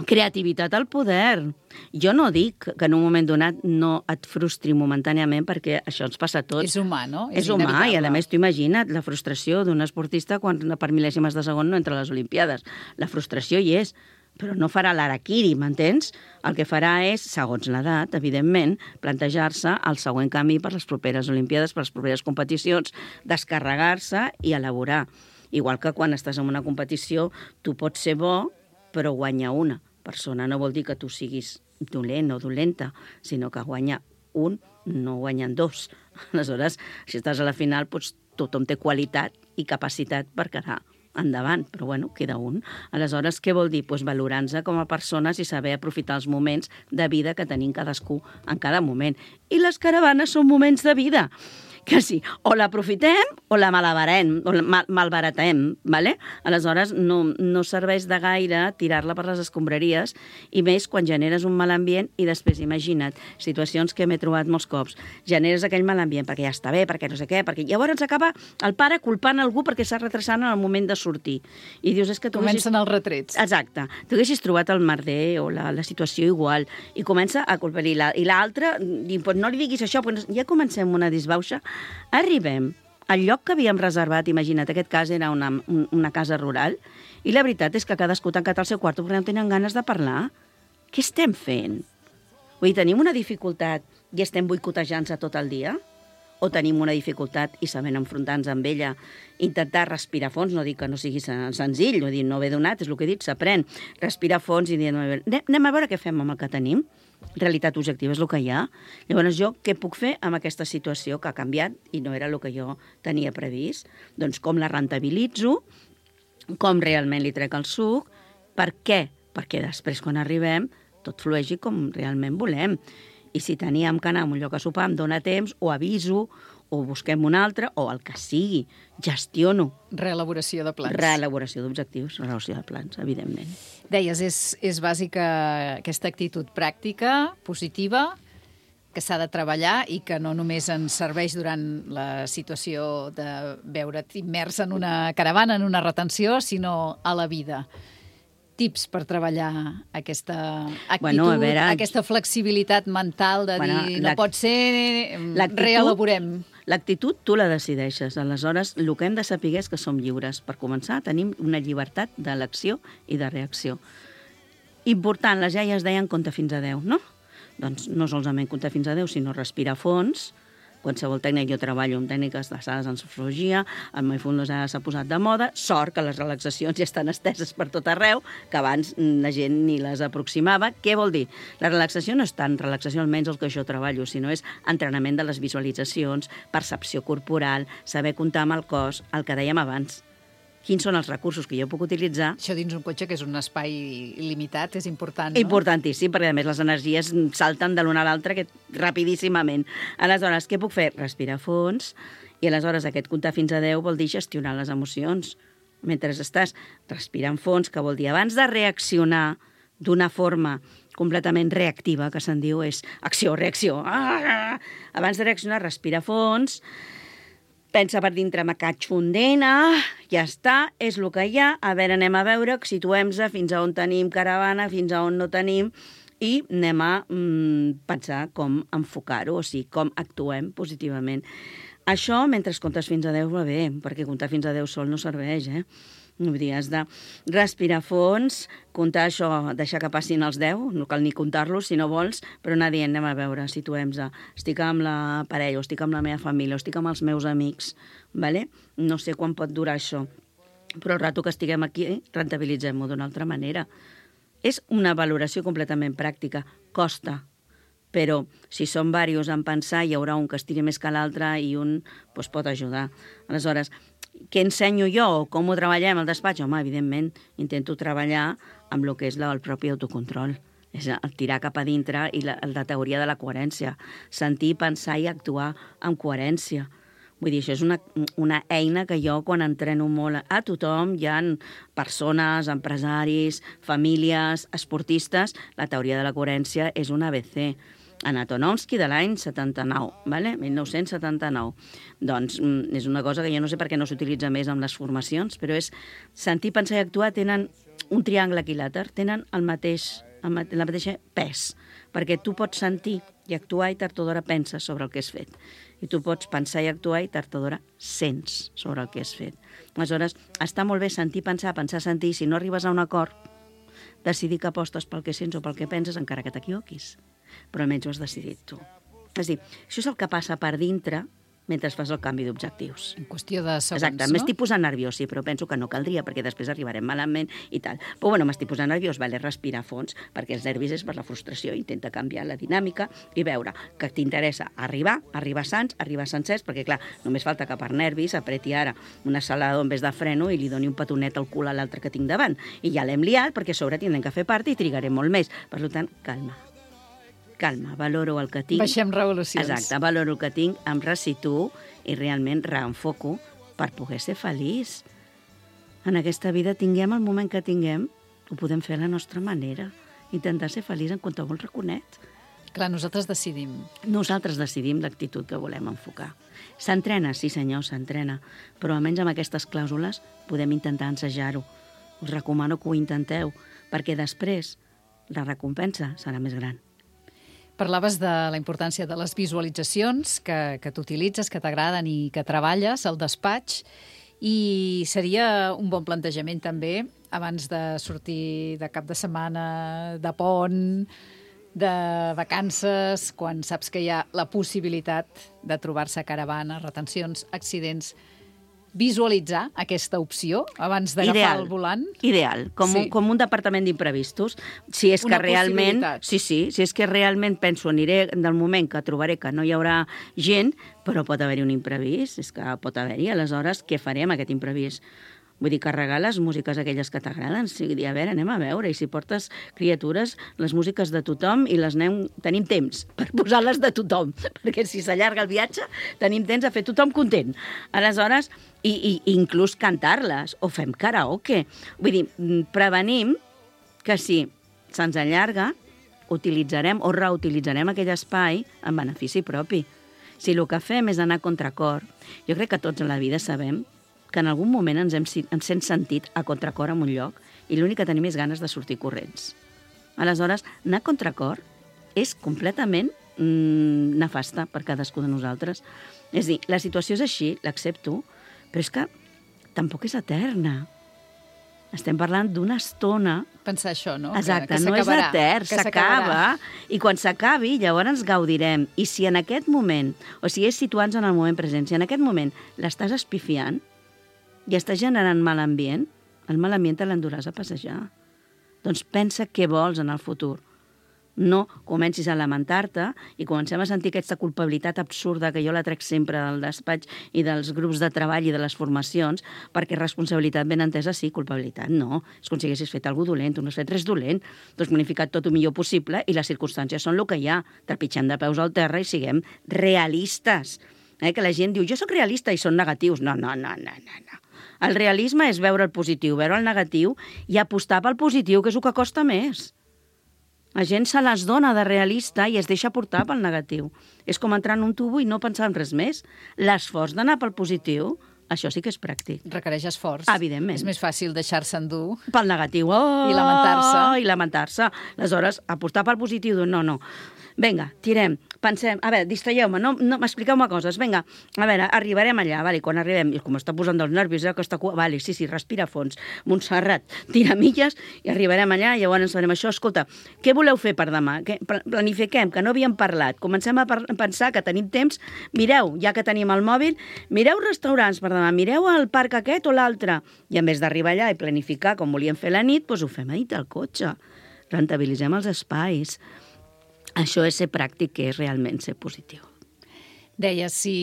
Creativitat al poder. Jo no dic que en un moment donat no et frustri momentàniament, perquè això ens passa a tots. És humà, no? És, és humà, i a més tu imagina't la frustració d'un esportista quan per mil·lèsimes de segon no entra a les Olimpiades. La frustració hi és, però no farà l'araquiri, m'entens? El que farà és, segons l'edat, evidentment, plantejar-se el següent camí per les properes Olimpiades, per les properes competicions, descarregar-se i elaborar. Igual que quan estàs en una competició, tu pots ser bo, però guanya una persona. No vol dir que tu siguis dolent o dolenta, sinó que guanya un, no guanyen dos. Aleshores, si estàs a la final, doncs, tothom té qualitat i capacitat per quedar endavant, però bueno, queda un. Aleshores, què vol dir? Pues valorant-se com a persones i saber aprofitar els moments de vida que tenim cadascú en cada moment. I les caravanes són moments de vida, que sí, o l'aprofitem o la malabarem, o la mal malbaratem, ¿vale? Aleshores no, no serveix de gaire tirar-la per les escombraries, i més quan generes un mal ambient i després, imagina't, situacions que m'he trobat molts cops, generes aquell mal ambient perquè ja està bé, perquè no sé què, perquè llavors acaba el pare culpant algú perquè s'ha retrasat en el moment de sortir. I dius, és que tu Comencen haguessis... els retrets. Exacte. Tu haguessis trobat el merder o la, la situació igual i comença a culpar. I l'altre, la, no li diguis això, perquè ja comencem una disbauxa. Arribem al lloc que havíem reservat, imagina't, aquest cas era una, una casa rural, i la veritat és que cadascú ha tancat el seu quarto perquè no tenen ganes de parlar. Què estem fent? Vull dir, tenim una dificultat i estem boicotejant-se tot el dia? O tenim una dificultat i sabent enfrontar-nos amb ella, intentar respirar fons, no dic que no sigui senzill, no, dir, no ve donat, és el que he dit, s'aprèn. Respirar fons i dir, anem a veure què fem amb el que tenim. Realitat objectiva és el que hi ha. Llavors jo què puc fer amb aquesta situació que ha canviat i no era el que jo tenia previst? Doncs com la rentabilitzo, com realment li trec el suc, per què? Perquè després quan arribem tot flueixi com realment volem. I si teníem que anar a un lloc a sopar, em dóna temps, o aviso, o busquem un altre, o el que sigui. Gestiono. Reelaboració de plans. Reelaboració d'objectius, reelaboració de plans, evidentment. Deies, és, és bàsica aquesta actitud pràctica, positiva, que s'ha de treballar i que no només ens serveix durant la situació de veure't immers en una caravana, en una retenció, sinó a la vida. Tips per treballar aquesta actitud, bueno, veure, aquesta flexibilitat mental de bueno, dir, no pot ser, reelaborem. L'actitud tu la decideixes. Aleshores, el que hem de saber és que som lliures. Per començar, tenim una llibertat d'elecció i de reacció. Important, les iaies deien compta fins a deu, no? Doncs no solament comptar fins a deu, sinó respirar fons. Qualsevol tècnica, jo treballo amb tècniques basades en sofrologia, el mindfulness ara s'ha posat de moda, sort que les relaxacions ja estan esteses per tot arreu, que abans la gent ni les aproximava. Què vol dir? La relaxació no és tant relaxació, almenys el que jo treballo, sinó és entrenament de les visualitzacions, percepció corporal, saber comptar amb el cos, el que dèiem abans. Quins són els recursos que jo puc utilitzar. Això dins un cotxe, que és un espai limitat, és important, no? Importantíssim, perquè a més les energies salten de l'una a l'altra rapidíssimament. Aleshores, què puc fer? Respirar fons, i aleshores aquest comptar fins a deu vol dir gestionar les emocions. Mentre estàs respirant fons, que vol dir abans de reaccionar d'una forma completament reactiva, que se'n diu és acció-reacció. Ah! Abans de reaccionar, respira fons, pensa per dintre, me caig fondena, ja està, és el que hi ha, a veure, anem a veure, situem-se fins a on tenim caravana, fins a on no tenim, i anem a mm, pensar com enfocar-ho, o sigui, com actuem positivament. Això, mentre comptes fins a deu, va bé, perquè comptar fins a deu sol no serveix, eh? Vull dir, has de respirar fons, comptar això, deixar que passin els deu, no cal ni comptar-los si no vols, però anar dient, anem a veure, situem-se, estic amb la parella, o estic amb la meva família, o estic amb els meus amics, ¿vale? No sé quan pot durar això, però el rato que estiguem aquí, rentabilitzem-ho d'una altra manera. És una valoració completament pràctica, costa, però si són diversos en pensar, hi haurà un que estigui més que l'altre i un doncs, pot ajudar. Aleshores, què ensenyo jo o com ho treballem al despatx? Home, evidentment, intento treballar amb el que és el propi autocontrol. És el tirar cap a dintre i la, la teoria de la coherència. Sentir, pensar i actuar amb coherència. Vull dir, això és una, una eina que jo, quan entreno molt a tothom, hi ha persones, empresaris, famílies, esportistes, la teoria de la coherència és un A B C. Anatonomsky de l'any setanta-nou, ¿vale? mil nou-cents setanta-nou. Doncs és una cosa que jo no sé per què no s'utilitza més en les formacions, però és sentir, pensar i actuar tenen un triangle equilàter, tenen el mateix, el mate, el mateix pes, perquè tu pots sentir i actuar i tard o d'hora penses sobre el que has fet. I tu pots pensar i actuar i tard o d'hora sents sobre el que has fet. Aleshores, està molt bé sentir, pensar, pensar, sentir. Si no arribes a un acord, decidir que apostes pel que sents o pel que penses, encara que t'equivoquis. Però almenys ho has decidit tu. És a dir, això és el que passa per dintre mentre fas el canvi d'objectius. En qüestió de segons, Exacte, no? m'estic posant nerviós, sí, però penso que no caldria, perquè després arribarem malament i tal. Però bueno, m'estic posant nerviós, vale, respirar a fons, perquè els nervis és per la frustració, intenta canviar la dinàmica i veure que t'interessa arribar, arribar sants, arribar sencers, perquè clar, només falta que per nervis apreti ara un accelerador en vez de freno i li doni un petonet al cul a l'altre que tinc davant. I ja l'hem liat, perquè a sobre tindrem que fer part i trigarem molt més. Per tant, calma. Calma, valoro el que tinc. Baixem revolucions. Exacte, valoro el que tinc, em resituo i realment reenfoco per poder ser feliç. En aquesta vida, tinguem el moment que tinguem, ho podem fer a la nostra manera. Intentar ser feliç en qualsevol raconet. Clar, nosaltres decidim. Nosaltres decidim l'actitud que volem enfocar. S'entrena, sí senyor, s'entrena, però almenys amb aquestes clàusules podem intentar ensejar-ho. Us recomano que ho intenteu, perquè després la recompensa serà més gran. Parlaves de la importància de les visualitzacions que, que t'utilitzes, que t'agraden i que treballes al despatx, i seria un bon plantejament també, abans de sortir de cap de setmana, de pont, de vacances, quan saps que hi ha la possibilitat de trobar-se caravana, retencions, accidents, visualitzar aquesta opció abans d'agafar el volant? Ideal, com, Sí. un, com un departament d'imprevistos. Si és Una que realment, possibilitat. sí, sí, si és que realment penso, aniré del moment que trobaré que no hi haurà gent, però pot haver-hi un imprevist, és que pot haver-hi, aleshores què farem aquest imprevist? Vull dir, carregar les músiques aquelles que t'agraden, sí, dir, a veure, anem a veure, i si portes criatures, les músiques de tothom, i les anem... tenim temps per posar-les de tothom, perquè si s'allarga el viatge, tenim temps a fer tothom content. Aleshores, i, i inclús cantar-les, o fem karaoke. Vull dir, prevenim que si se'ns allarga, utilitzarem o reutilitzarem aquell espai en benefici propi. Si el que fem és anar a contracor, jo crec que tots en la vida sabem que en algun moment ens hem, ens hem sentit a contracor en un lloc i l'únic que tenim és ganes de sortir corrents. Aleshores, anar a contracor és completament mmm, nefasta per cadascú de nosaltres. És a dir, la situació és així, l'accepto, però és que tampoc és eterna. Estem parlant d'una estona. Pensar això, no? Exacte, que, que no és etern, que s'acaba, i quan s'acabi llavors ens gaudirem. I si en aquest moment, o si és situar-nos en el moment present, si en aquest moment l'estàs espifiant i estàs generant mal ambient, el mal ambient te l'enduràs a passejar. Doncs pensa què vols en el futur. No comencis a lamentar-te i comencem a sentir aquesta culpabilitat absurda que jo la trec sempre del despatx i dels grups de treball i de les formacions, perquè responsabilitat ben entesa sí, culpabilitat no. És com si haguessis fet alguna dolent, tu no has fet res dolent, tu has planificat tot el millor possible i les circumstàncies són el que hi ha. Trepitgem de peus al terra i siguem realistes. Eh? Que la gent diu, jo sóc realista i són negatius. No, no, no, no, no, no. El realisme és veure el positiu, veure el negatiu i apostar pel positiu, que és el que costa més. La gent se les dona de realista i es deixa portar pel negatiu. És com entrar en un tubo i no pensar en res més. L'esforç d'anar pel positiu, això sí que és pràctic. Requereix esforç. Evidentment. És més fàcil deixar-se endur. Pel negatiu. Oh, I lamentar-se. I lamentar-se. Aleshores, apostar pel positiu, no, no. Vinga, tirem, pensem, a veure, distraieu-me, no, no, m'expliqueu-me coses, vinga, a veure, arribarem allà, vale, quan arribem, i com està posant dels nervis, eh, aquesta cua, vale, sí, sí, respira a fons, Montserrat, tira milles, i arribarem allà, i llavors ens farem això, escolta, què voleu fer per demà? Què, planifiquem, que no havíem parlat, comencem a pensar que tenim temps, mireu, ja que tenim el mòbil, mireu restaurants per demà, mireu el parc aquest o l'altre, i en vez d'arribar allà i planificar com volíem fer la nit, doncs ho fem a nit al cotxe, rentabilitzem els espais. Això és ser pràctic, que és realment ser positiu. Deia, si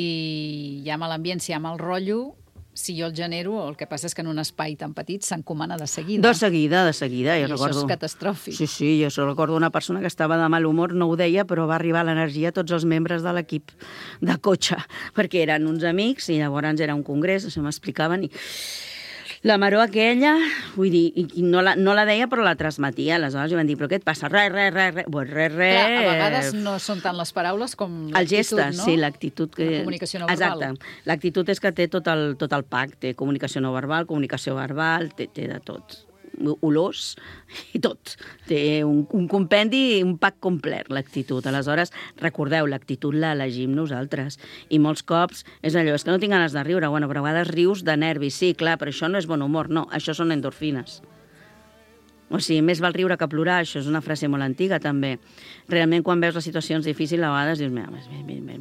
hi ha mal ambient, si hi ha mal rotllo, si jo el genero, el que passa és que en un espai tan petit s'encomana de seguida. De seguida, de seguida. I jo això recordo... és catastròfic. Sí, sí, jo recordo una persona que estava de mal humor, no ho deia, però va arribar l'energia a tots els membres de l'equip de cotxe, perquè eren uns amics i llavors era un congrés, això m'explicaven, i la maror aquella, vull dir, i no la, no la deia però la transmetia, aleshores i van dir, però què et passa? Res, res, res, res, pues res, res. Clar, a vegades no són tant les paraules com l'actitud, el gestes, no? Sí, l'actitud. Que... La comunicació no verbal. Exacte. L'actitud és que té tot el, tot el pack, té comunicació no verbal, comunicació verbal, té, té de tot. Olors i tot. Té un, un compendi, un pack complet, l'actitud. Aleshores, recordeu, l'actitud l'elegim nosaltres. I molts cops és allò, és que no tinc ganes de riure, bueno, però a vegades rius de nervis. Sí, clar, però això no és bon humor, no, això són endorfines. O sigui, més val riure que plorar, això és una frase molt antiga, també. Realment, quan veus les situacions difícils, a vegades dius, mira,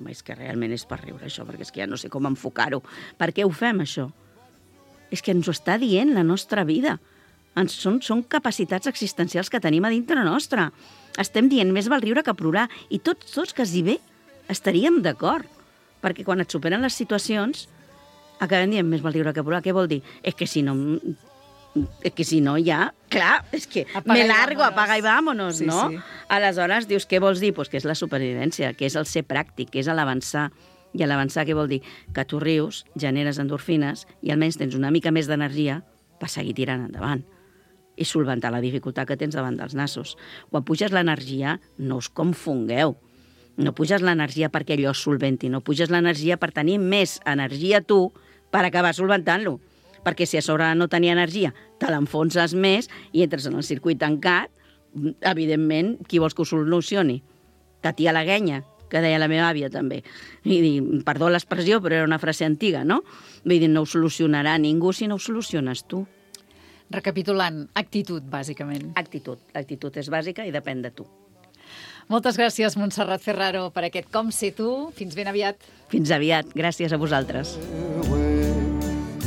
és que realment és per riure, això, perquè és que ja no sé com enfocar-ho. Per què ho fem, això? És que ens ho està dient la nostra vida. Ens, són, són capacitats existencials que tenim a dintre nostra. Estem dient, més val riure que plorar. I tots, tots, quasi bé, estaríem d'acord. Perquè quan et superen les situacions, acabem dient, més val riure que plorar. Què vol dir? És que si no... És que si no ja... Clar, és que apaga me largo, apaga i vámonos, sí, no? Sí. Aleshores, dius, què vols dir? Pues que és la supervivència, que és el ser pràctic, que és l'avançar. I l'avançar què vol dir? Que tu rius, generes endorfines i almenys tens una mica més d'energia per seguir tirant endavant i solventar la dificultat que tens davant dels nassos. Quan puges l'energia, no us confongueu. No puges l'energia perquè allò es solventi, no puges l'energia per tenir més energia tu per acabar solventant-lo. Perquè si a sobre no tenia energia, te l'enfonses més i entres en el circuit tancat, evidentment, qui vols que ho solucioni? Ta tia la guenya, que deia la meva àvia també. I dir, perdó l'expressió, però era una frase antiga, no? Vull dir, no ho solucionarà ningú si no ho soluciones tu. Recapitulant, actitud, bàsicament. Actitud. L'actitud és bàsica i depèn de tu. Moltes gràcies, Montserrat Ferraro, per aquest Com sé tu. Fins ben aviat. Fins aviat. Gràcies a vosaltres.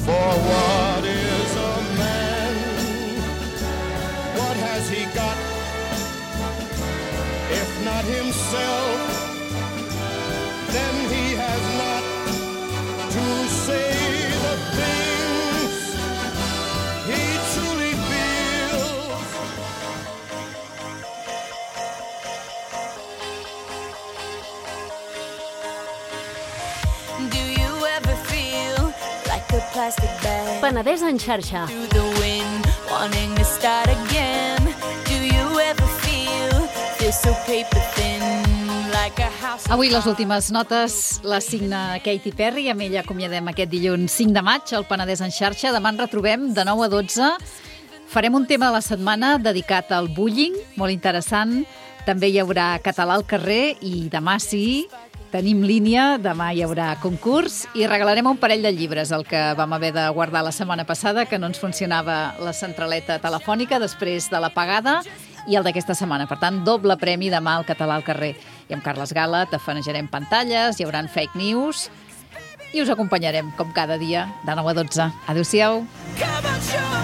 For what is a man? What has he got? If not himself, then he has not to say the things he truly feels. Do you ever feel like a plastic bag? Penedès en xarxa. Through the wind, wanting to start again. Do you ever feel feel so paper thin, like a house? Avui les últimes notes les signa Katy Perry. Amb ella acomiadem aquest dilluns cinc de maig al Penedès en xarxa. Demà ens retrobem de nou a dotze. Farem un tema de la setmana dedicat al bullying, molt interessant. També hi haurà català al carrer i demà sí, tenim línia, demà hi haurà concurs i regalarem un parell de llibres, el que vam haver de guardar la setmana passada, que no ens funcionava la centraleta telefònica després de l'apagada, i el d'aquesta setmana. Per tant, doble premi demà al català al carrer. I amb Carles Gala tafanejarem pantalles, hi haurà fake news i us acompanyarem, com cada dia, de nou a dotze. Adéu-siau. Come on, show